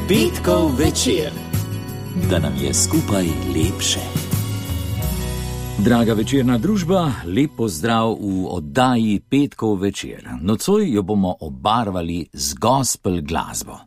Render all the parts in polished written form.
Petkov večer, da nam je skupaj lepše. Draga večerna družba, lep pozdrav v oddaji Petkov večer. Nocoj jo bomo obarvali z gospel glasbo.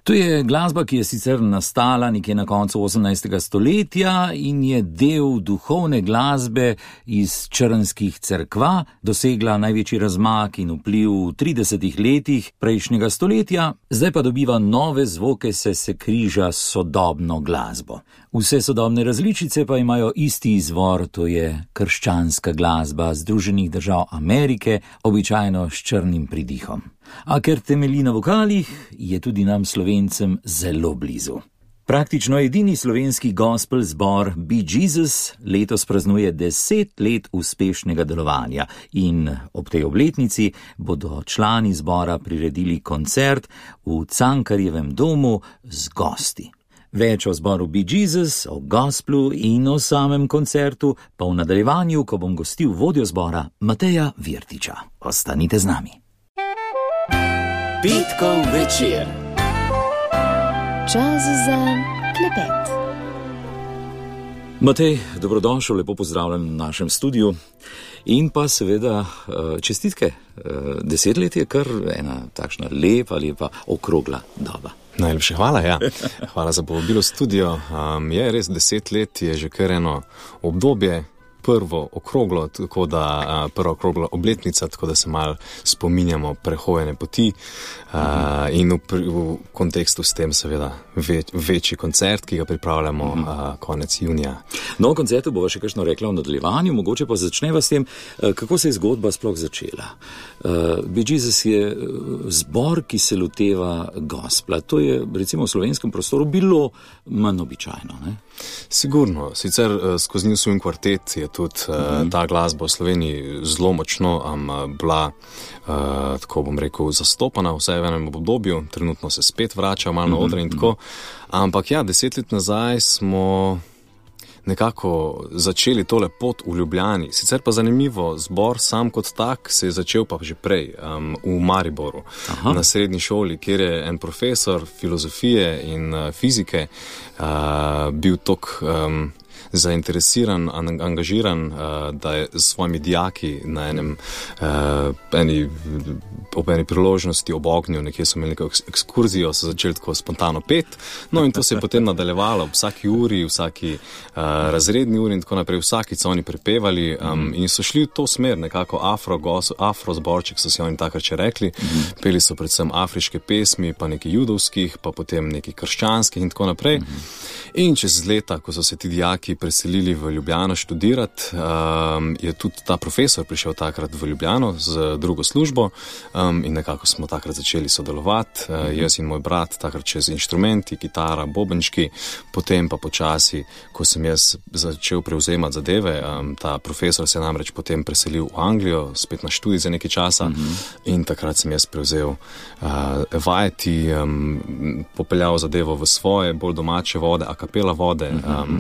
To je glasba, ki je sicer nastala nekje na koncu 18. stoletja in je del duhovne glasbe iz črnskih cerkva, dosegla največji razmak in vpliv v 30 letih prejšnjega stoletja, zdaj pa dobiva nove zvoke, se križa s sodobno glasbo. Vse sodobne različice pa imajo isti izvor, to je krščanska glasba Združenih držav Amerike, običajno s črnim pridihom. A ker temelji na vokalih, je tudi nam Slovencem zelo blizu. Praktično edini slovenski gospel zbor Be Jesus letos praznuje 10 let uspešnega delovanja in ob tej obletnici bodo člani zbora priredili koncert v Cankarjevem domu z gosti. Več o zboru Be Jesus, o gospelu in o samem koncertu pa v nadaljevanju, ko bom gostil vodjo zbora Mateja Virtiča. Ostanite z nami. Petkov večer. Čas za klepet. Matej, dobrodošel, lepo pozdravljen v našem studiu. In pa seveda čestitke. 10 let je kar ena takšna lepa okrogla doba. Najlepše hvala, ja. Hvala za povabilo v studio. Je res 10 let, je že kar eno obdobje, prva okrogla obletnica, tako da se malo spominjamo prehojene poti in v kontekstu s tem seveda večji koncert, ki ga pripravljamo konec junija. No, o koncertu bova še kakšno rekla v nadaljevanju, mogoče pa začneva s tem, kako se je zgodba sploh začela. Be Jesus je zbor, ki se loteva gospla. To je recimo v slovenskem prostoru bilo manj običajno, ne? Sigurno, sicer skozi njih svojim kvartet je tudi ta glasba v Sloveniji zelo močno bila, tako bom rekel, zastopana vsaj v enem obdobju, trenutno se spet vrača malo na odre in tako, ampak ja, 10 let nazaj smo nekako začeli tole pot v Ljubljani. Sicer pa zanimivo, zbor sam kot tak se je začel pa že prej, v Mariboru, na srednji šoli, kjer je en profesor filozofije in fizike bil toliko zainteresiran, angažiran, da je s svojimi dijaki na ob eni priložnosti ob ognju, nekje so imeli neko ekskurzijo, so začeli tako spontano pet, no in to se je potem nadaljevalo ob vsaki uri, vsaki razredni uri in tako naprej, vsakič so oni prepevali in so šli v to smer, nekako afro zborček, so si oni takrat še rekli, peli so predvsem afriške pesmi, pa nekaj judovskih, pa potem nekaj krščanskih in tako naprej. In čez leta, ko so se ti dijaki preselili v Ljubljano študirati, je tudi ta profesor prišel takrat v Ljubljano z drugo službo in nekako smo takrat začeli sodelovati, jaz in moj brat, takrat čez inštrumenti, kitara, bobenčki, potem pa počasi, ko sem jaz začel prevzemati zadeve, ta profesor se je namreč potem preselil v Anglijo, spet na študij za nekaj časa in takrat sem jaz prevzel vajeti, popeljal zadevo v svoje, bolj domače vode, a kapela vode,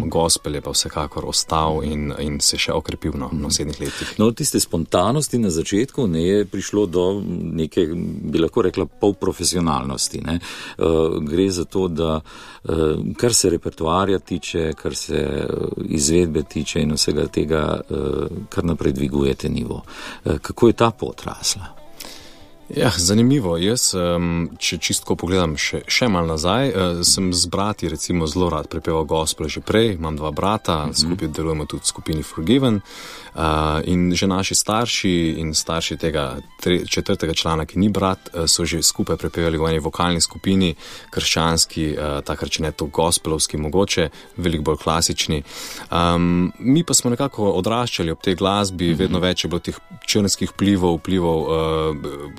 gospel je pa vsekakor ostal in se še okrepil v naslednjih letih. No, tiste spontanosti na začetku ne je prišlo do neke, bi lahko rekla, polprofesionalnosti, ne? Gre za to, da kar se repertoarja tiče, kar se izvedbe tiče in vsega tega, kar naprej dvigujete nivo. Kako je ta pot rasla? Ja, zanimivo. Jaz, če čistko pogledam še malo nazaj, sem z brati recimo zelo rad prepeval gospel že prej, imam 2 brata, skupaj delujemo tudi v skupini Forgiven in že naši starši in starši tega 4. člana, ki ni brat, so že skupaj prepevali v eni vokalni skupini, krščanski, takrat če ne to gospelovski mogoče, veliko bolj klasični. Mi pa smo nekako odraščali ob tej glasbi, vedno več je bilo teh črnskih vplivov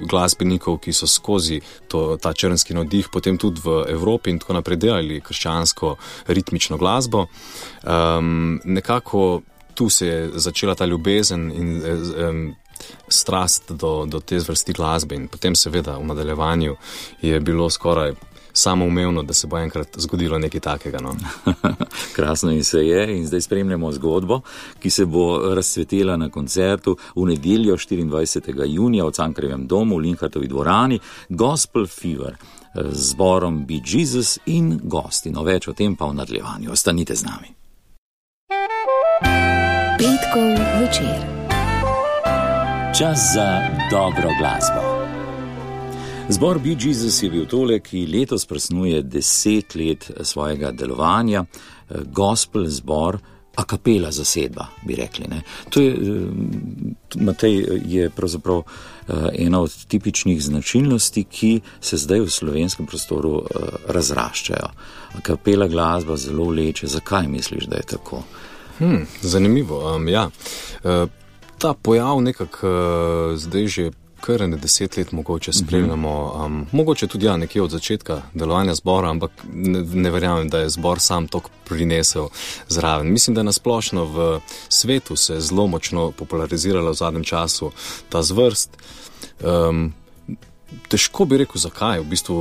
glasbenikov, ki so skozi ta črnski navdih potem tudi v Evropi in tako naprej delali krščansko ritmično glasbo. Nekako tu se je začela ta ljubezen in strast do te zvrsti glasbe in potem seveda v nadaljevanju je bilo skoraj samoumevno, da se bo enkrat zgodilo nekaj takega. No. Krasno in se je in zdaj spremljamo zgodbo, ki se bo razcvetela na koncertu v nedeljo 24. junija v Cankarjevem domu v Linhartovi dvorani Gospel Fever z zborom Be Jesus in gosti. No, več o tem pa v nadaljevanju. Ostanite z nami. Petkov večer. Čas za dobro glasbo. Zbor Be Jesus je bil tole, ki letos praznuje 10 let svojega delovanja. Gospel zbor, a kapela zasedba, bi rekli. Ne? To je, Matej, je pravzaprav ena od tipičnih značilnosti, ki se zdaj v slovenskem prostoru razraščajo. A kapela glasba zelo vleče. Zakaj misliš, da je tako? Zanimivo, ja. Ta pojav nekako zdaj že kar 10 let mogoče spremljamo, mogoče tudi nekje od začetka delovanja zbora, ampak ne verjamem, da je zbor sam toliko prinesel zraven. Mislim, da je nasplošno v svetu se zelo močno popularizirala v zadnjem času ta zvrst. Težko bi rekel, zakaj. V bistvu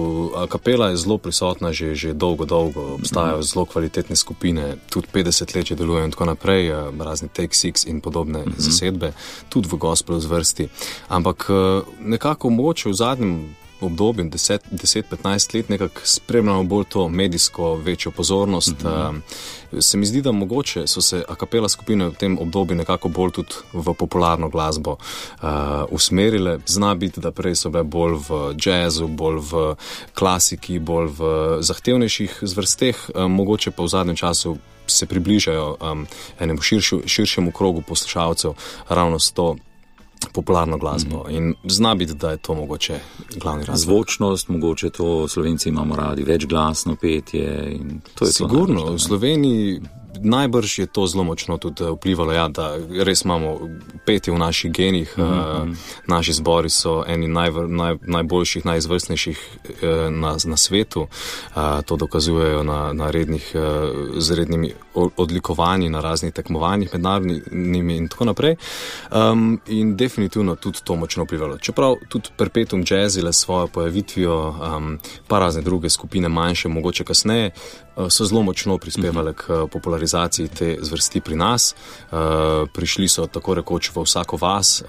kapela je zelo prisotna že dolgo. Obstajajo zelo kvalitetne skupine, tudi 50 let že delujejo in tako naprej, razni Take Six in podobne zasedbe, tudi v gospelu zvrsti. Ampak nekako mogoče v zadnjem obdobju, 10-15 let, nekako spremljamo bolj to medijsko večjo pozornost. Se mi zdi, da mogoče so se a kapela skupine v tem obdobju nekako bolj tudi v popularno glasbo usmerile. Zna biti, da prej so bile bolj v jazzu, bolj v klasiki, bolj v zahtevnejših zvrsteh, mogoče pa v zadnjem času se približajo enemu širšemu krogu poslušalcev ravno s to popularno glasbo. In zna biti, da je to mogoče glavni razlog. Zvočnost, mogoče to Slovenci imamo radi, večglasno petje. In to je sigurno, to v Sloveniji najbrž je to zelo močno tudi vplivalo, ja, da res imamo petje v naših genih. Naši zbori so eni najboljših, najizvrstnejših na svetu. To dokazujejo na rednih, z rednimi odlikovanji, na raznih tekmovanjih mednarodnimi in tako naprej. In definitivno tudi to močno vplivalo. Čeprav tudi Perpetuum Jazzile s svojo pojavitvijo, pa razne druge skupine manjše, mogoče kasneje, so zelo močno prispevali k popularizaciji te zvrsti pri nas. Prišli so tako rekoč v vsako vas,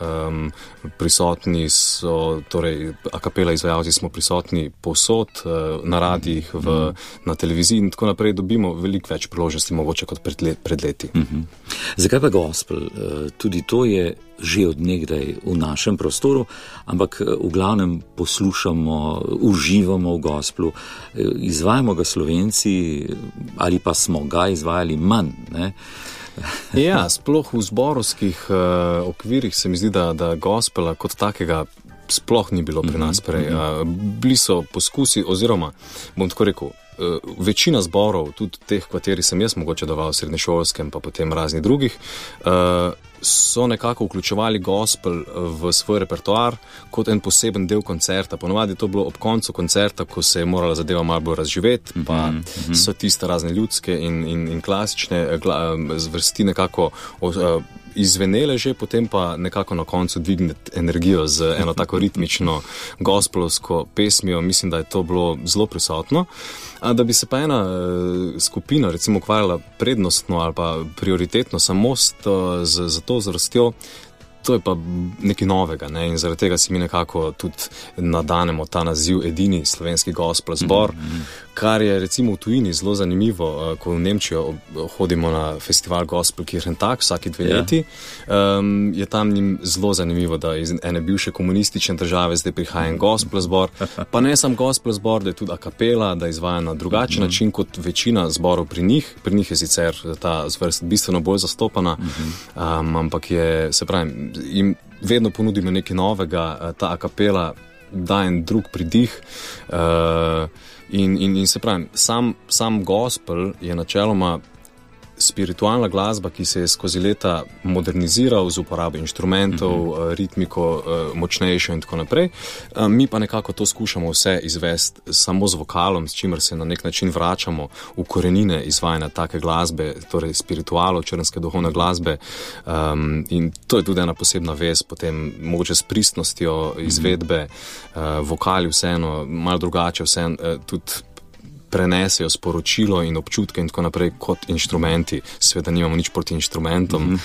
prisotni so, torej a kapela izvajalci smo prisotni povsod, na radijih, na televiziji in tako naprej, dobimo veliko več priložnosti mogoče kot pred leti. Zakaj pa gospel? Tudi to je že od nekdaj v našem prostoru, ampak v glavnem poslušamo, uživamo v gospelu, izvajamo ga Slovenci ali pa smo ga izvajali manj, ne? Ja, sploh v zborovskih okvirih se mi zdi, da gospela kot takega sploh ni bilo pri nas prej. Bili so poskusi, oziroma, bom tako rekel, večina zborov, tudi teh, kateri sem jaz mogoče deloval v srednješolskem, pa potem raznih drugih, so nekako vključevali gospel v svoj repertoar kot en poseben del koncerta. Ponovadi je to bilo ob koncu koncerta, ko se je morala zadeva malo bolj razživeti, pa so tiste razne ljudske in klasične zvrsti nekako izvenele že, potem pa nekako na koncu dvigneti energijo z eno tako ritmično gospelovsko pesmijo. Mislim, da je to bilo zelo prisotno. Da bi se pa ena skupina recimo ukvarjala prednostno ali pa prioritetno samo za to zvrstjo, to je pa nekaj novega, ne? In zaradi tega si mi nekako tudi nadanemo ta naziv edini slovenski gospel zbor, kar je recimo v tujini zelo zanimivo, ko v Nemčijo hodimo na festival Gospel Kirchentag vsaki 2 leti, je tam njim zelo zanimivo, da iz ene bivše komunistične države zdaj prihaja en gospel zbor, pa ne sam gospel zbor, da je tudi a kapela, da izvaja na drugačen način kot večina zborov pri njih. Pri njih je sicer ta zvrst bistveno bolj zastopana, ampak je, se pravi, jim vedno ponudimo nekaj novega, ta a kapela da en drug pridih, in se pravi, sam gospel je načeloma spiritualna glasba, ki se je skozi leta moderniziral z uporabo inštrumentov, ritmiko močnejšo in tako naprej. Mi pa nekako to skušamo vse izvesti samo z vokalom, s čimer se na nek način vračamo v korenine izvajanja take glasbe, torej spiritualo, črnske duhovne glasbe. In to je tudi ena posebna vez, potem mogoče s pristnostjo izvedbe, vokali vseeno, malo drugače vseeno, tudi prenesejo sporočilo in občutke in tako naprej kot inštrumenti. Seveda nimamo nič proti inštrumentom,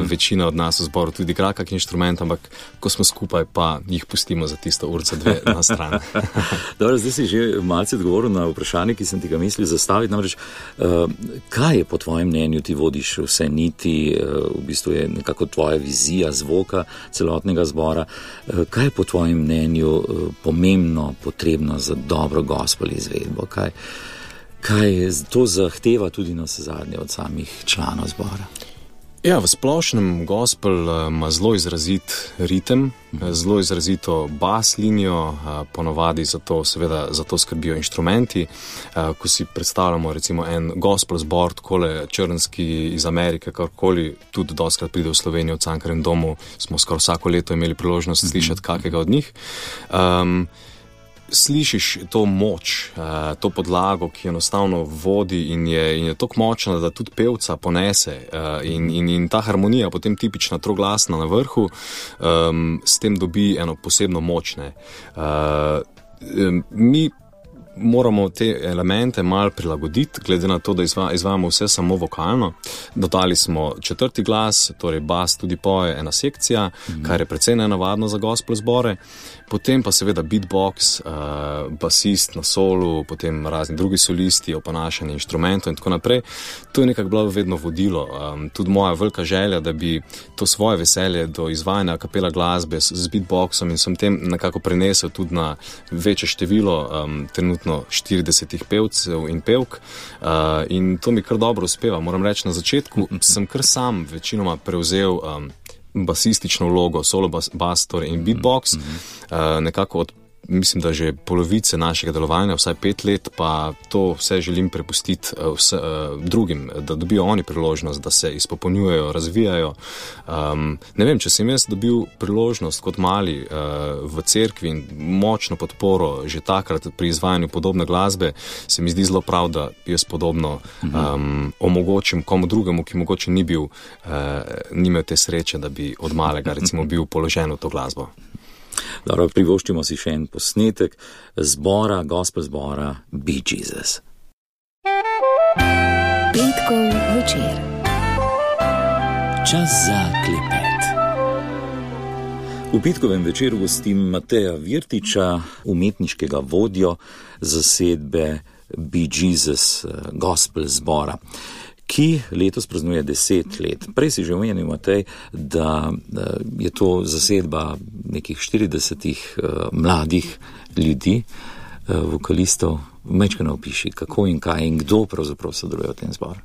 večina od nas v zboru tudi igra kak inštrument, ampak ko smo skupaj, pa jih pustimo za tisto urco dve na stran. Dobro, zdaj si že malce odgovoril na vprašanje, ki sem ti ga mislil zastaviti, namreč kaj je po tvojem mnenju, ti vodiš vse niti, v bistvu je nekako tvoja vizija zvoka celotnega zbora, kaj je po tvojem mnenju pomembno, potrebno za dobro gospel izvedbo, kaj to zahteva tudi na vsezadnje od samih članov zbora? Ja, v splošnem gospel ima zelo izrazit ritem, zelo izrazito bas linijo, ponovadi za to skrbijo inštrumenti. Ko si predstavljamo recimo en gospel zbor, takole črnski iz Amerike, karkoli, tudi dostikrat pride v Slovenijo v Cankarjevem domu, smo skoraj vsako leto imeli priložnost slišati kakega od njih. Slišiš to moč, to podlago, ki enostavno vodi in je toliko močna, da tudi pevca ponese in ta harmonija, potem tipična troglasna na vrhu, s tem dobi eno posebno močne. Mi moramo te elemente malo prilagoditi, glede na to, da izvajamo vse samo vokalno. Dodali smo četrti glas, torej bas tudi poje, ena sekcija, kar je precej nenavadno za gospel zbore. Potem pa seveda beatbox, basist na solu, potem razni drugi solisti, oponašanje inštrumentov in tako naprej. To je nekako bilo vedno vodilo. Tudi moja velika želja, da bi to svoje veselje do izvajanja kapela glasbe z beatboxom in sem tem nekako prenesel tudi na večje število, trenutno 40 pevcev in pevk. In to mi kar dobro uspeva. Moram reči, na začetku sem kar sam večinoma prevzel basistično vlogo, solo bas in beatbox, nekako od, mislim, da že polovice našega delovanja, vsaj 5 let, pa to vse želim prepustiti drugim, da dobijo oni priložnost, da se izpopolnjujejo, razvijajo. Ne vem, če sem jaz dobil priložnost kot mali v cerkvi in močno podporo že takrat pri izvajanju podobne glasbe, se mi zdi zelo prav, da jaz podobno omogočim komu drugemu, ki mogoče ni imel te sreče, da bi od malega recimo bil položen v to glasbo. Dobro, privoščimo si še en posnetek zbora, gospel zbora Be Jesus. Petkov večer. Čas za klepet. V petkovem večeru gostim Mateja Virtiča, umetniškega vodjo zasedbe Be Jesus gospel zbora, ki letos praznuje 10 let. Prej si že omenil, Matej, da je to zasedba nekih 40 mladih ljudi, vokalistov. Majčkeno opiši, kako in kaj in kdo pravzaprav sodeluje v tem zboru.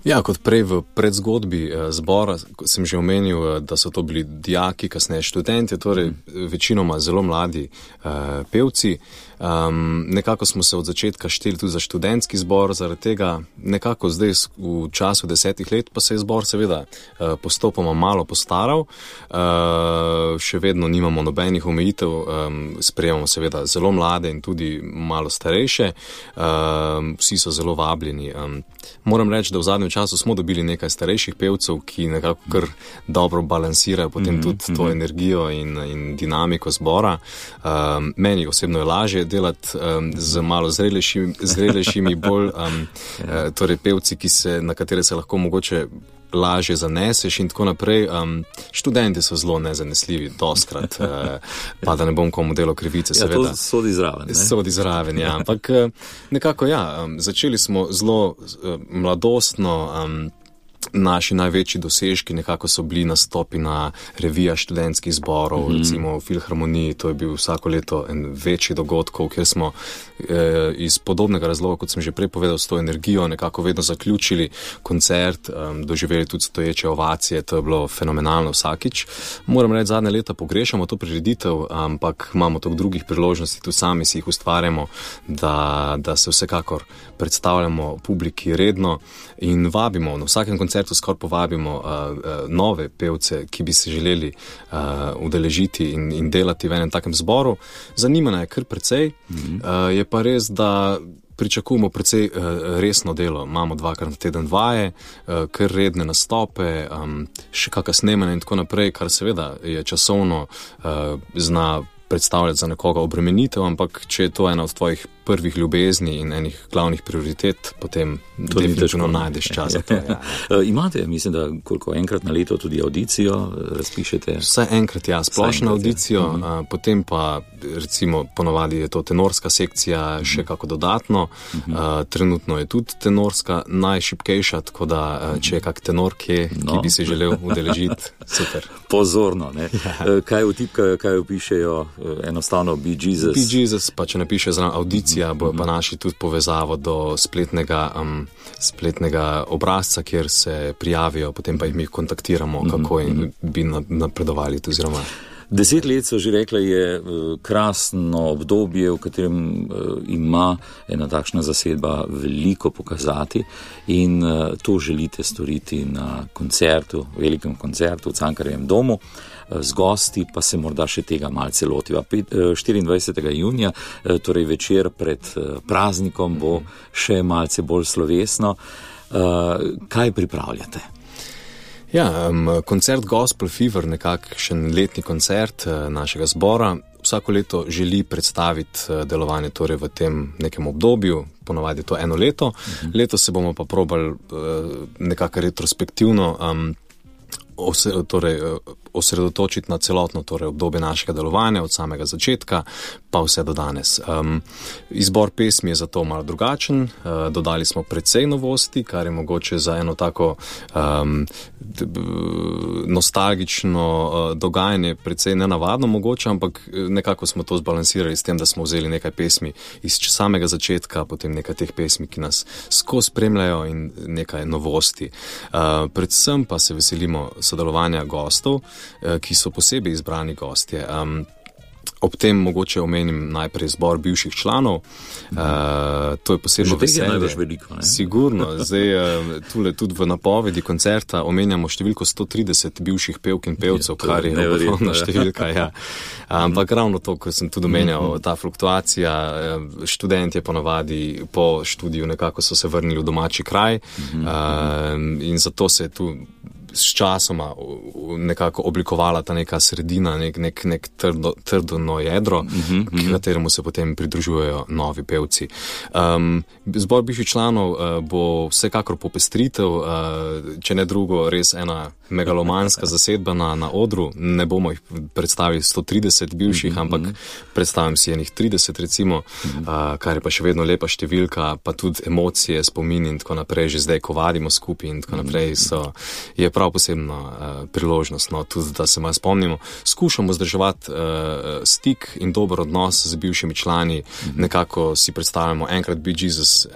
Ja, kot prej v predzgodbi zbora sem že omenil, da so to bili dijaki, kasneje študenti, torej večinoma zelo mladi pevci. Nekako smo se od začetka šteli tudi za študentski zbor, zaradi tega nekako zdaj v času 10 let pa se je zbor seveda postopoma malo postaral. Še vedno nimamo nobenih omejitev, sprejemamo seveda zelo mlade in tudi malo starejše. Vsi so zelo vabljeni. Moram reči, da v zadnjem času smo dobili nekaj starejših pevcev, ki nekako kar dobro balansirajo potem tudi to energijo in dinamiko zbora. Meni osebno je lažje delati z malo zrelejšimi bolj, torej pevci, na katere se lahko mogoče lažje zaneseš in tako naprej. Študenti so zelo nezanesljivi, dostkrat, pa da ne bom komu delal krivice, seveda. Ja, to sodi zraven, ne? Sodi zraven, ja. Ampak nekako, ja, začeli smo zelo mladostno, naši največji dosežki nekako so bili nastopi na revijah študentskih zborov, recimo v Filharmoniji, to je bil vsako leto en večji dogodkov, kjer smo iz podobnega razloga, kot sem že prej povedal, s to energijo nekako vedno zaključili koncert, doživeli tudi stoječe ovacije, to je bilo fenomenalno vsakič. Moram reči, zadnje leta pogrešamo to prireditev, ampak imamo toliko drugih priložnosti, tudi sami si jih ustvarjamo, da se vsekakor predstavljamo publiki redno in vabimo, na vsakem koncertu skoraj povabimo nove pevce, ki bi se želeli udeležiti in delati v enem takem zboru. Zanimanja je kar precej, je pa res, da pričakujemo precej resno delo. Imamo 2x na teden vaje, kar redne nastope, še kakšna snemanja in tako naprej, kar seveda je časovno zna predstavljati za nekoga obremenitev, ampak če je to ena od tvojih prvih ljubezni in enih glavnih prioritet, potem definitivno najdeš čas za to. Ja. Imate, mislim, da koliko enkrat na leto tudi audicijo razpišete? Vsaj enkrat, ja, splošno audicijo, potem pa recimo ponovadi je to tenorska sekcija še kako dodatno, trenutno je tudi tenorska najšibkejša, tako da če je kak tenor kje, ki bi se želel udeležiti, super. Pozorno, ne? Ja. Kaj vtipkajo, kaj opišejo, enostavno Be Jesus? Be Jesus, pa če napiše zraven audicija, bojo pa našli tudi povezavo do spletnega obrazca, kjer se prijavijo, potem pa jih mi kontaktiramo, kako bi napredovali tu oziroma. 10 let so že rekla, je krasno obdobje, v katerem ima ena takšna zasedba veliko pokazati in to želite storiti na koncertu, velikem koncertu v Cankarjevem domu. Z gosti pa se morda še tega malce lotiva. 24. junija, torej večer pred praznikom, bo še malce bolj slovesno. Kaj pripravljate? Ja, koncert Gospel Fever, nekakšen letni koncert našega zbora, vsako leto želi predstaviti delovanje torej v tem nekem obdobju, ponovadi je to eno leto. Letos se bomo pa probali nekako retrospektivno osredotočiti na celotno torej obdobje našega delovanja od samega začetka pa vse do danes. Izbor pesmi je zato malo drugačen, dodali smo precej novosti, kar je mogoče za eno tako nostalgično dogajanje precej nenavadno mogoče, ampak nekako smo to zbalansirali s tem, da smo vzeli nekaj pesmi iz samega začetka, potem nekaj teh pesmi, ki nas skozi spremljajo in nekaj novosti. Predvsem pa se veselimo sodelovanja gostov, ki so posebej izbrani gostje. Ob tem mogoče omenim najprej zbor bivših članov. To je posebno veselje. Veliko, sigurno. Zdaj, tule tudi v napovedi koncerta omenjamo številko 130 bivših pevk in pevcev, kar je ogromna številka. Ja. Ampak ravno to, ko sem tudi omenjal, ta fluktuacija, študentje ponovadi po študiju nekako so se vrnili v domači kraj in zato se je tu s časoma nekako oblikovala ta neka sredina, nek trdno jedro, kateremu se potem pridružujejo novi pevci. Zbor bivših članov bo vsekakor popestritev, če ne drugo, res ena megalomanska zasedba na odru. Ne bomo jih predstavili 130 bivših, ampak predstavim si enih 30 recimo, kar je pa še vedno lepa številka, pa tudi emocije, spomini in tako naprej, že zdaj, ko vadimo skupaj in tako naprej, je prav posebna priložnost, no, tudi da se malo spomnimo. Skušamo vzdrževati stik in dober odnos z bivšimi člani, nekako si predstavljamo enkrat Be Jesus,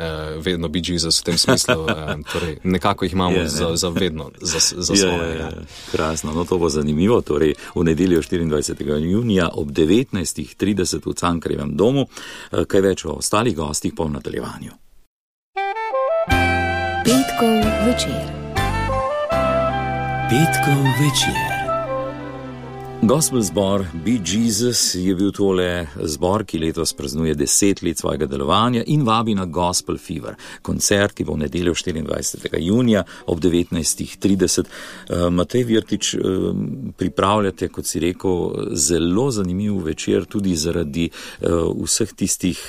vedno Be Jesus v tem smislu, torej nekako jih imamo za vedno, za svoje. Krasno, no to bo zanimivo, torej v nedeljo 24. junija ob 19.30 v Cankarjevem domu, kaj več o ostalih gostih pa v nadaljevanju. Petkov večer. Petkov večer. Gospel zbor Be Jesus je bil tole zbor, ki letos praznuje 10 let svojega delovanja in vabi na Gospel Fever, koncert, ki bo v nedeljo 24. junija ob 19.30. Matej Virtič, pripravljate, kot si rekel, zelo zanimiv večer tudi zaradi vseh tistih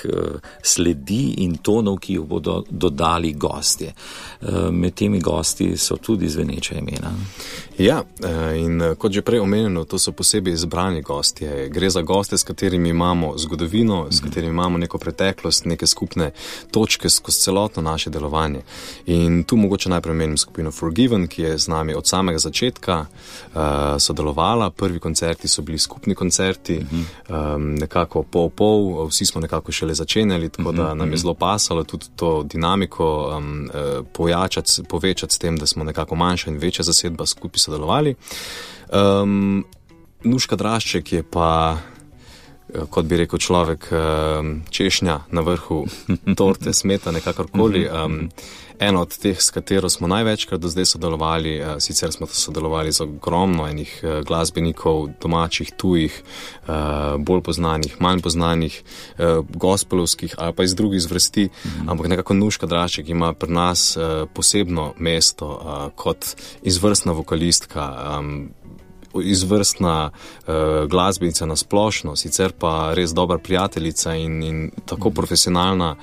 sledi in tonov, ki jo bodo dodali gostje. Med temi gosti so tudi zveneča imena. Ja, in kot že prej omenjeno, to so posebej izbrani gostje. Gre za goste, s katerimi imamo zgodovino, s katerimi imamo neko preteklost, neke skupne točke skozi celotno naše delovanje. In tu mogoče najprej menim skupino Forgiven, ki je z nami od samega začetka sodelovala. Prvi koncerti so bili skupni koncerti, nekako pol, vsi smo nekako šele začenjali, tako da nam je zelo pasalo tudi to dinamiko povečati s tem, da smo nekako manjša in večja zasedba skupaj sodelovali. Nuška Drašček je pa, kot bi rekel človek, češnja na vrhu torte, smetane, kakorkoli. Eno od teh, s katero smo največkrat do zdaj sodelovali, sicer smo sodelovali z ogromno enih glasbenikov, domačih, tujih, bolj poznanih, manj poznanih, gospelovskih ali pa iz drugih zvrsti, ampak nekako Nuška Drašček ima pri nas posebno mesto kot izvrstna vokalistka, izvrstna glasbenica na splošno, sicer pa res dobra prijateljica in tako profesionalna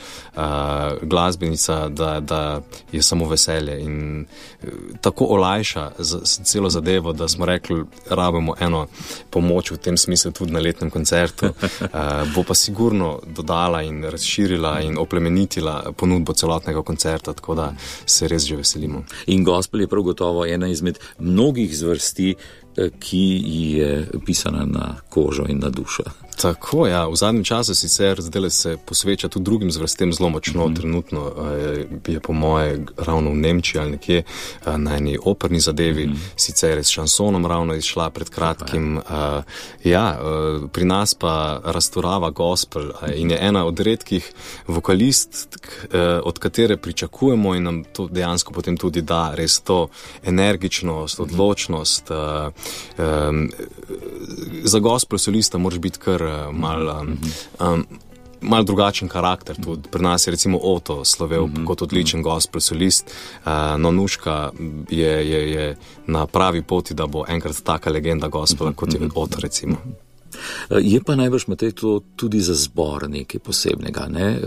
glasbenica, da je samo veselje in tako olajša celo zadevo, da smo rekli, rabimo eno pomoč v tem smislu tudi na letnem koncertu. Bo pa sigurno dodala in razširila in oplemenitila ponudbo celotnega koncerta, tako da se res že veselimo. In gospel je prav gotovo ena izmed mnogih zvrsti, ki je pisana na kožo in na dušo. Tako, ja. V zadnjem času sicer zdaj se posveča tudi drugim zvrstem zelo močno. Trenutno je po moje ravno v Nemčiji ali nekje na eni operni zadevi, sicer s šansonom ravno izšla pred kratkim. Pri nas pa razturava gospel in je ena od redkih vokalistk, od katere pričakujemo in nam to dejansko potem tudi da res to energičnost, odločnost. Za gospel solista moraš biti kar mal drugačen karakter. Tudi pri nas je recimo Oto slovel kot odličen gospel solist, no Nuška je na pravi poti, da bo enkrat taka legenda gospela, kot je Oto recimo. Je pa najbrž, Matej, to tudi za zbor nekaj posebnega, ne?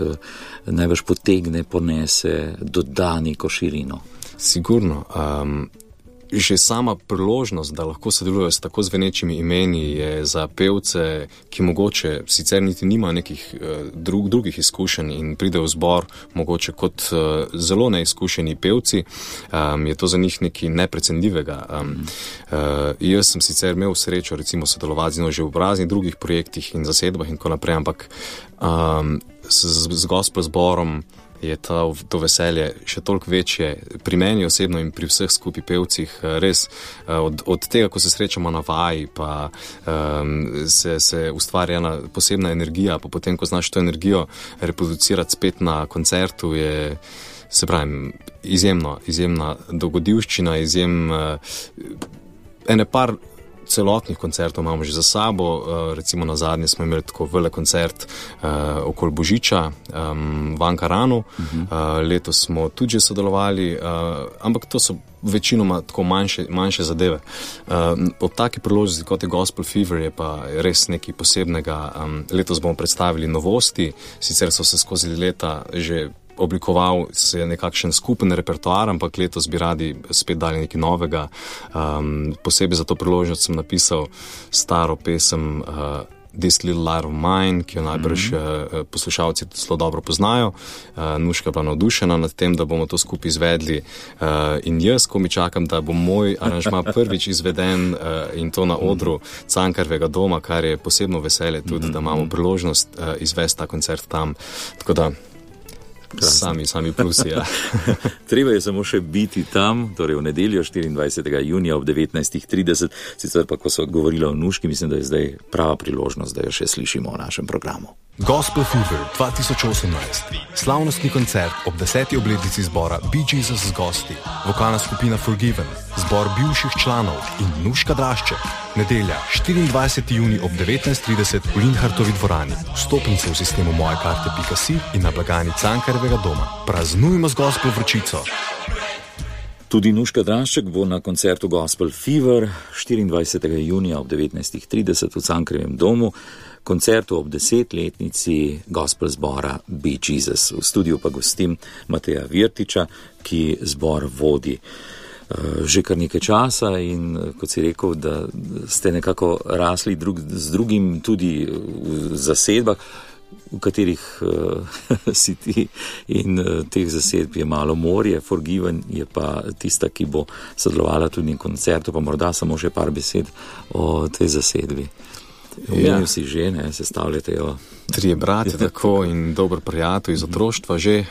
Najbrž potegne, ponese, doda neko širino. Sigurno. Že sama priložnost, da lahko sodelujejo s tako zvenečimi imeni, je za pevce, ki mogoče sicer niti nima nekih drugih izkušenj in pride v zbor mogoče kot zelo neizkušeni pevci, je to za njih nekaj neprecenljivega. Jaz sem sicer imel srečo recimo sodelovati z njo že v raznih drugih projektih in zasedbah in tako naprej, ampak z gospel zborom je to veselje še toliko večje pri meni osebno in pri vseh skupaj pevcih. Res od tega, ko se srečamo na vaji, pa se ustvarja ena posebna energija, pa potem, ko znaš to energijo reproducirati spet na koncertu, je, se pravim, izjemna dogodivščina, ene par celotnih koncertov imamo že za sabo, recimo na zadnje smo imeli tako velik koncert okoli Božiča v Ankaranu, letos smo tudi že sodelovali, ampak to so večinoma tako manjše zadeve. Ob taki priložnosti, kot je Gospel Fever, je pa res nekaj posebnega. Letos bomo predstavili novosti, sicer so se skozi leta že oblikoval se nekakšen skupen repertoar, ampak letos bi radi spet dali nekaj novega. Posebej za to priložnost sem napisal staro pesem This Little Light of Mine, ki jo najbrž poslušalci zelo dobro poznajo. Nuška je bila navdušena nad tem, da bomo to skupaj izvedli, in jaz, ko mi čakam, da bo moj aranžma prvič izveden in to na odru Cankarjevega doma, kar je posebno veselje tudi, da imamo priložnost izvesti ta koncert tam. Tako da Sami plusi, ja. Treba je samo še biti tam, torej v nedeljo 24. junija ob 19.30, sicer pa, ko so govorila o Nuški, mislim, da je zdaj prava priložnost, da jo še slišimo v našem programu. Gospel Fever 2018. Slavnostni koncert ob 10. obletnici zbora Be Jesus z gosti, vokalna skupina Forgiven, zbor bivših članov in Nuška Drašček. Nedelja, 24. junij ob 19.30 v Linhartovi dvorani. Vstopnice v sistemu mojekarte.si in na blagajni Cankarjevega doma. Praznujmo z gospel vročico. Tudi Nuška Drašček bo na koncertu Gospel Fever 24. junija ob 19.30 v Cankarjevem domu, koncertu ob 10-letnici gospel zbora Be Jesus. V studiu pa gostim Mateja Virtiča, ki zbor vodi. že kar nekaj časa in kot si rekel, da ste nekako rasli z drugim tudi v zasedbah, v katerih si ti in teh zasedb je malo morje. Forgiven je pa tista, ki bo sodelovala tudi na koncertu, pa morda samo še par besed o tej zasedbi. Omenil si že, ne, sestavljate jo. 3 bratje tako in dober prijatelj iz otroštva že.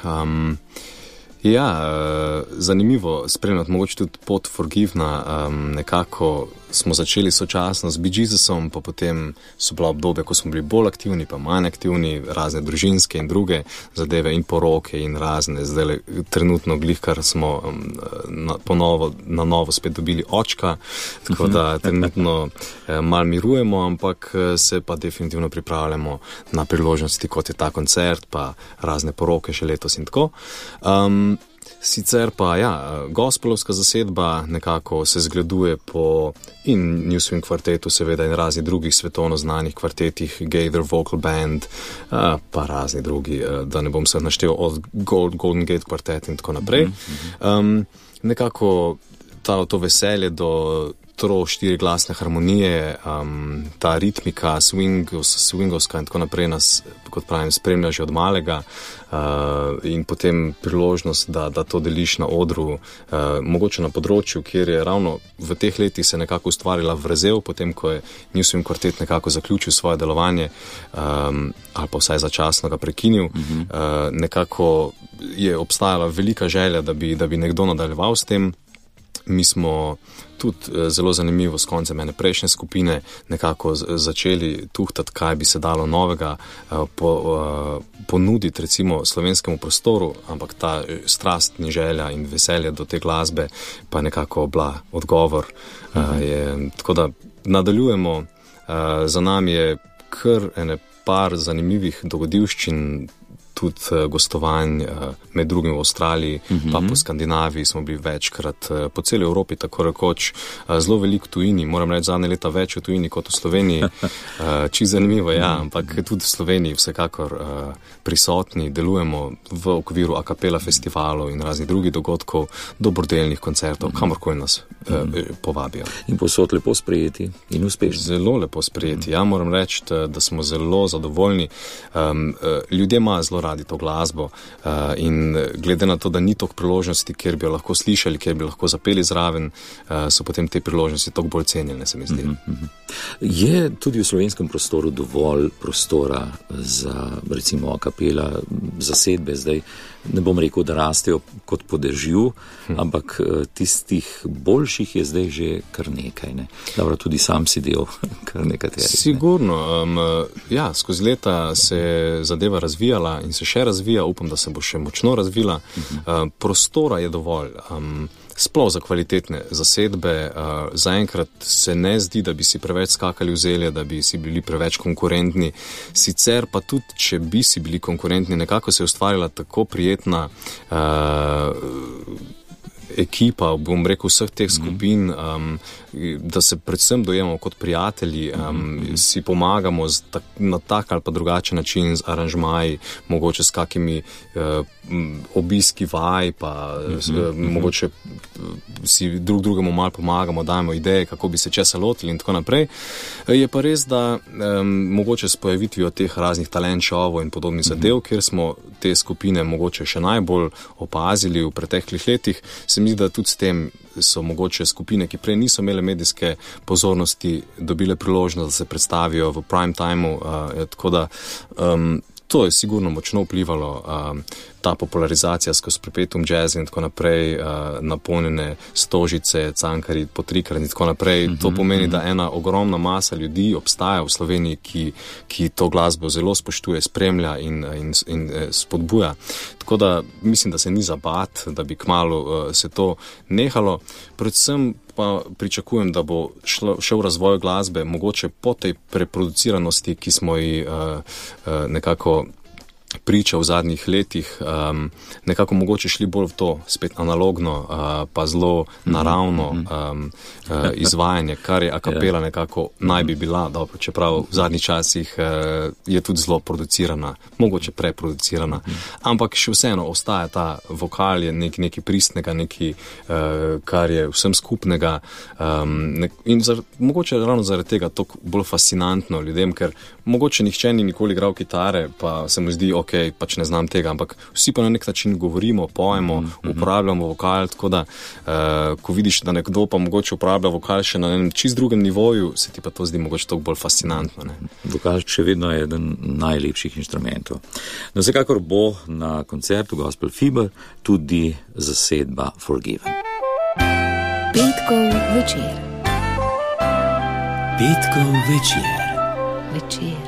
Zanimivo spremljati mogoče tudi pot Forgivena, nekako smo začeli sočasno z Bee Jesusom, pa potem so bila obdobja, ko smo bili bolj aktivni, pa manj aktivni, razne družinske in druge zadeve in poroke in razne, zdaj trenutno glihkar smo na novo spet dobili očka, tako da trenutno malo mirujemo, ampak se pa definitivno pripravljamo na priložnosti, kot je ta koncert, pa razne poroke še letos in tako. Sicer pa, gospelovska zasedba nekako se zgleduje po in New Swing kvartetu, seveda in raznih drugih svetovno znanih kvartetih, Gaither Vocal Band, pa razni drugi, da ne bom se naštel od Golden Gate kvartet in tako naprej. Nekako to veselje do 4 glasne harmonije, ta ritmika, swingovska in tako naprej nas, kot pravim, spremlja že od malega in potem priložnost, da to deliš na odru, mogoče na področju, kjer je ravno v teh letih se nekako ustvarila vrzel, potem ko je New Swing kvartet nekako zaključil svoje delovanje ali pa vsaj začasno ga prekinil, nekako je obstajala velika želja, da bi nekdo nadaljeval s tem. Mi smo tudi zelo zanimivo s koncem ene prejšnje skupine nekako začeli tuhtati, kaj bi se dalo novega ponuditi recimo slovenskemu prostoru, ampak ta strastni želja in veselje do te glasbe pa nekako bila odgovor. Tako da nadaljujemo, za nami je kar ene par zanimivih dogodivščin, tudi gostovanj med drugim v Avstraliji, pa po Skandinaviji smo bili večkrat, po celi Evropi tako rekoč, zelo veliko tujini, moram reči zadnje leta več v tujini kot v Sloveniji, čisto zanimivo, ampak tudi v Sloveniji vsekakor prisotni, delujemo v okviru a cappella festivalov in raznih drugih dogodkov, dobrodelnih koncertov, kamorkoli nas povabijo. In posod lepo sprejeti in uspešni. Zelo lepo sprejeti, moram reči, da smo zelo zadovoljni. Ljudje imajo zelo radi to glasbo in glede na to, da ni toliko priložnosti, kjer bi jo lahko slišali, kjer bi lahko zapeli zraven, so potem te priložnosti toliko bolj cenjene, se mi zdi. Je tudi v slovenskem prostoru dovolj prostora za recimo a cappella zasedbe? Zdaj ne bom rekel, da rastejo kot po dežju, ampak tistih boljših je zdaj že kar nekaj. Ne? Dobro, tudi sam si del kar nekaterih. Sigurno. Skozi leta se je zadeva razvijala in se še razvija, upam, da se bo še močno razvila. Prostora je dovolj. Sploh za kvalitetne zasedbe. Zaenkrat se ne zdi, da bi si preveč skakali v zelje, da bi si bili preveč konkurentni. Sicer pa tudi, če bi si bili konkurentni, nekako se je ustvarila tako prijetna ekipa, bom rekel, vseh teh skupin, da se predvsem dojemamo kot prijatelji, si pomagamo na tak ali pa drugačen način z aranžmaji, mogoče s kakimi obiski vaj, pa mogoče si drugemu malo pomagamo, dajemo ideje, kako bi se česa lotili in tako naprej. Je pa res, da mogoče s pojavitvijo teh raznih talent showov in podobnih zadev, kjer smo te skupine mogoče še najbolj opazili v preteklih letih, se mi zdi, da tudi s tem so mogoče skupine, ki prej niso imele medijske pozornosti, dobile priložnost, da se predstavijo v prime timeu, tako da to je sigurno močno vplivalo, ta popularizacija skozi Perpetuum jazz in tako naprej, napolnjene Stožice, Cankarji po trikrat in tako naprej. To pomeni, da ena ogromna masa ljudi obstaja v Sloveniji, ki to glasbo zelo spoštuje, spremlja in spodbuja. Tako da mislim, da se ni za bat, da bi kmalu se to nehalo. Predvsem pa pričakujem, da bo šel razvoj glasbe mogoče po tej preproduciranosti, ki smo ji nekako priča v zadnjih letih, nekako mogoče šli bolj v to, spet analogno, pa zelo naravno izvajanje, kar je a capella nekako naj bi bila, dobro, čeprav v zadnjih časih je tudi zelo producirana, mogoče preproducirana, ampak še vseeno ostaja ta vokal, je nekaj pristnega, nekaj, kar je vsem skupnega, in mogoče ravno zaradi tega toliko bolj fascinantno ljudem, ker mogoče nihče ni nikoli igral kitare, pa se mu zdi, ok, pač ne znam tega, ampak vsi pa na nek način govorimo, pojemo, uporabljamo vokal, tako da, ko vidiš, da nekdo pa mogoče uporablja vokal še na enem čist drugem nivoju, se ti pa to zdi mogoče toliko bolj fascinantno. Ne? Vokal še vedno je eden najlepših inštrumentov. No, vsekakor bo na koncertu Gospel Fever tudi zasedba Forgiven. Petkov večer. Petkov večer. Večer.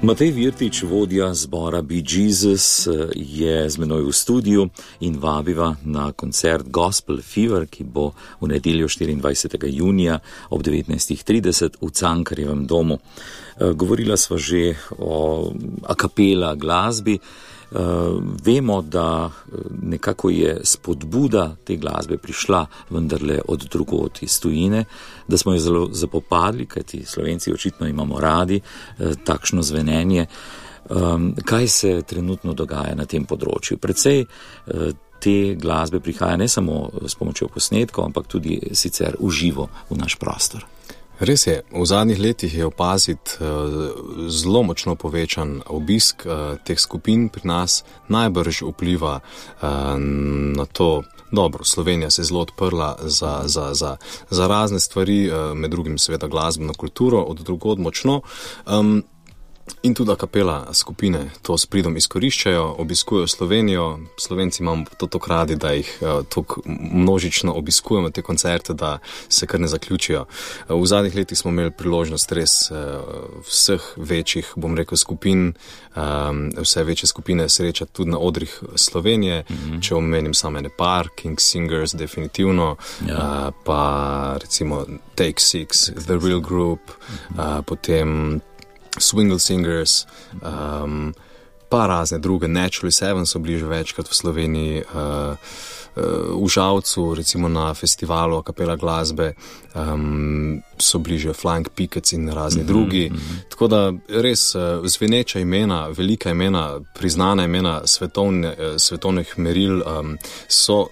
Matej Virtič, vodja zbora Be Jesus, je z menoj v studiu in vabiva na koncert Gospel Fever, ki bo v nedeljo 24. junija ob 19.30 v Cankarjevem domu. Govorila sva že o a capella glasbi. Vemo, da nekako je spodbuda te glasbe prišla vendarle od drugod iz tujine, da smo jo zelo zapopadli, kajti Slovenci očitno imamo radi takšno zvenenje. Kaj se trenutno dogaja na tem področju? Predvsej te glasbe prihaja ne samo s pomočjo posnetkov, ampak tudi sicer v živo v naš prostor. Res je, v zadnjih letih je opaziti zelo močno povečan obisk teh skupin pri nas, najbrž vpliva na to. Dobro, Slovenija se je zelo odprla za razne stvari, med drugim seveda glasbeno kulturo, od drugod močno. In tudi a capella skupine to s pridom izkoriščajo, obiskujejo Slovenijo. Slovenci imamo to tako radi, da jih tako množično obiskujemo te koncerte, da se kar ne zaključijo. V zadnjih letih smo imeli priložnost res vseh večjih, bom rekel, skupin, vse večje skupine srečati tudi na odrih Slovenije, če omenim samo ene par, King Singers definitivno, pa recimo Take Six, The Real Group, potem Swingle Singers, pa razne druge, Naturally Seven so bili že večkrat v Sloveniji, v Žalcu, recimo na festivalu a capella glasbe, so bili že Flying Pickets in razni drugi. Tako da res zveneča imena, velika imena, priznana imena svetovnih meril so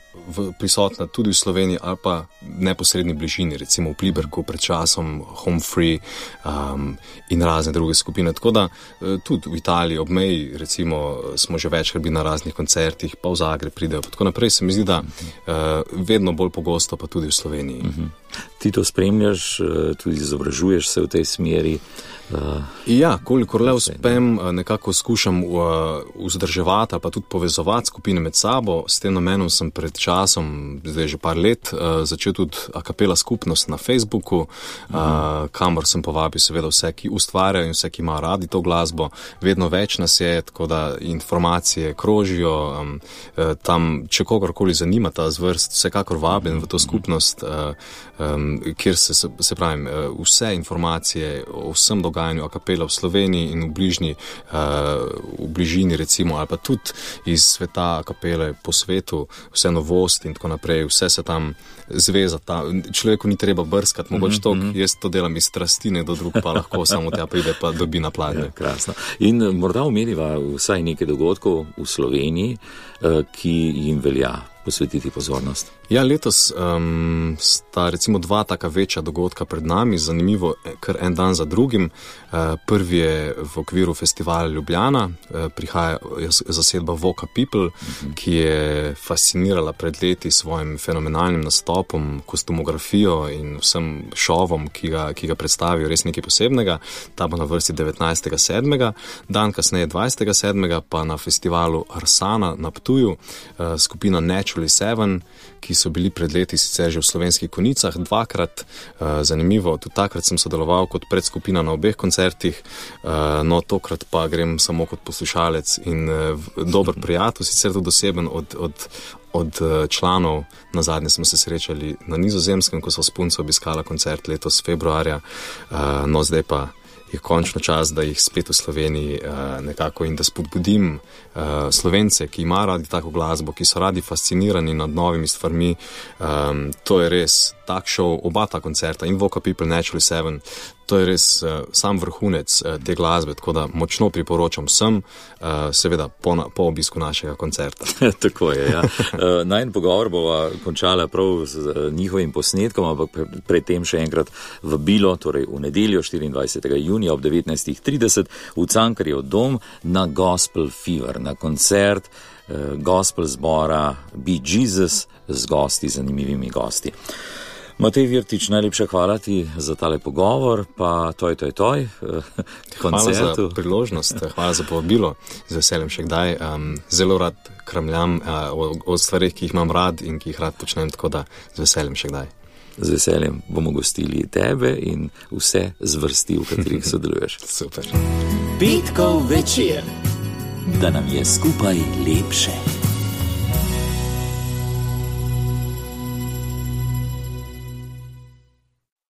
prisotna tudi v Sloveniji ali pa neposredni bližini, recimo v Pliberku pred časom, Home Free in razne druge skupine. Tako da tudi v Italiji ob meji, recimo, smo že večkrat bili na raznih koncertih, pa v Zagreb pridejo. Tako naprej se mi zdi, da vedno bolj pogosto pa tudi v Sloveniji. Ti to spremljaš, tudi izobražuješ se v tej smeri? Ja, kolikor le uspem, nekako skušam vzdrževati ali pa tudi povezovati skupine med sabo. S tem namenom sem pred časom, zdaj že par let, začel tudi a capella skupnost na Facebooku, kamor sem povabil seveda vse, ki ustvarjajo in vse, ki imajo radi to glasbo. Vedno več nas je, tako da informacije krožijo. Tam, če kogarkoli zanima ta zvrst, vsekakor vabljen v to skupnost, kjer se pravim, vse informacije o vsem dogajanju a capella v Sloveniji in v bližini recimo, ali pa tudi iz sveta a capelle po svetu, vse novosti in tako naprej, vse se tam zveza. Človeku ni treba brskati, mogoče toliko, jaz to delam iz strasti, nekdo drug pa lahko samo tja pride pa dobi na pladnje. Ja, krasno. In morda omeniva vsaj nekaj dogodkov v Sloveniji, ki jim velja posvetiti pozornost. Ja, letos sta recimo dva taka večja dogodka pred nami, zanimivo, kar en dan za drugim. Prvi je v okviru festivala Ljubljana, prihaja zasedba Voca People, ki je fascinirala pred leti svojim fenomenalnim nastopom, kostumografijo in vsem šovom, ki ga predstavijo, res nekaj posebnega. Ta bo na vrsti 19.7. Dan kasneje 20.7. pa na festivalu Arsana na Ptuju, skupina Naturally Seven, ki so bili pred leti sicer že v Slovenskih Konicah dvakrat. Zanimivo, tudi takrat sem sodeloval kot predskupina na obeh koncertih, no tokrat pa grem samo kot poslušalec in dober prijatelj, sicer tudi oseben od članov. Nazadnje smo se srečali na Nizozemskem, ko so s punco obiskala koncert letos februarja, no zdaj pa je končno čas, da jih spet v Sloveniji nekako in da spodbudim Slovence, ki ima radi tako glasbo, ki so radi fascinirani nad novimi stvarmi. To je res tak šov, oba ta koncerta, in Vocal People, Naturally Seven, to je res sam vrhunec te glasbe, tako da močno priporočam vsem, seveda po obisku našega koncerta. Tako je, ja. Najin pogovor bova končala prav z njihovim posnetkom, ampak predtem še enkrat vabilo, torej v nedeljo 24. junija ob 19.30 v Cankarjev dom na Gospel Fever, na koncert gospel zbora Be Jesus z gosti, zanimivimi gosti. Matej Virtič, najlepša hvala ti za tale pogovor, pa toj koncertu. Hvala za priložnost, hvala za povabilo, z veseljem še kdaj. Zelo rad kramljam o stvarih, ki jih imam rad in ki jih rad počnem, tako da z veseljem še kdaj. Z veseljem bomo gostili tebe in vse zvrsti, v katerih sodeluješ. Super. Petkov večer, da nam je skupaj lepše.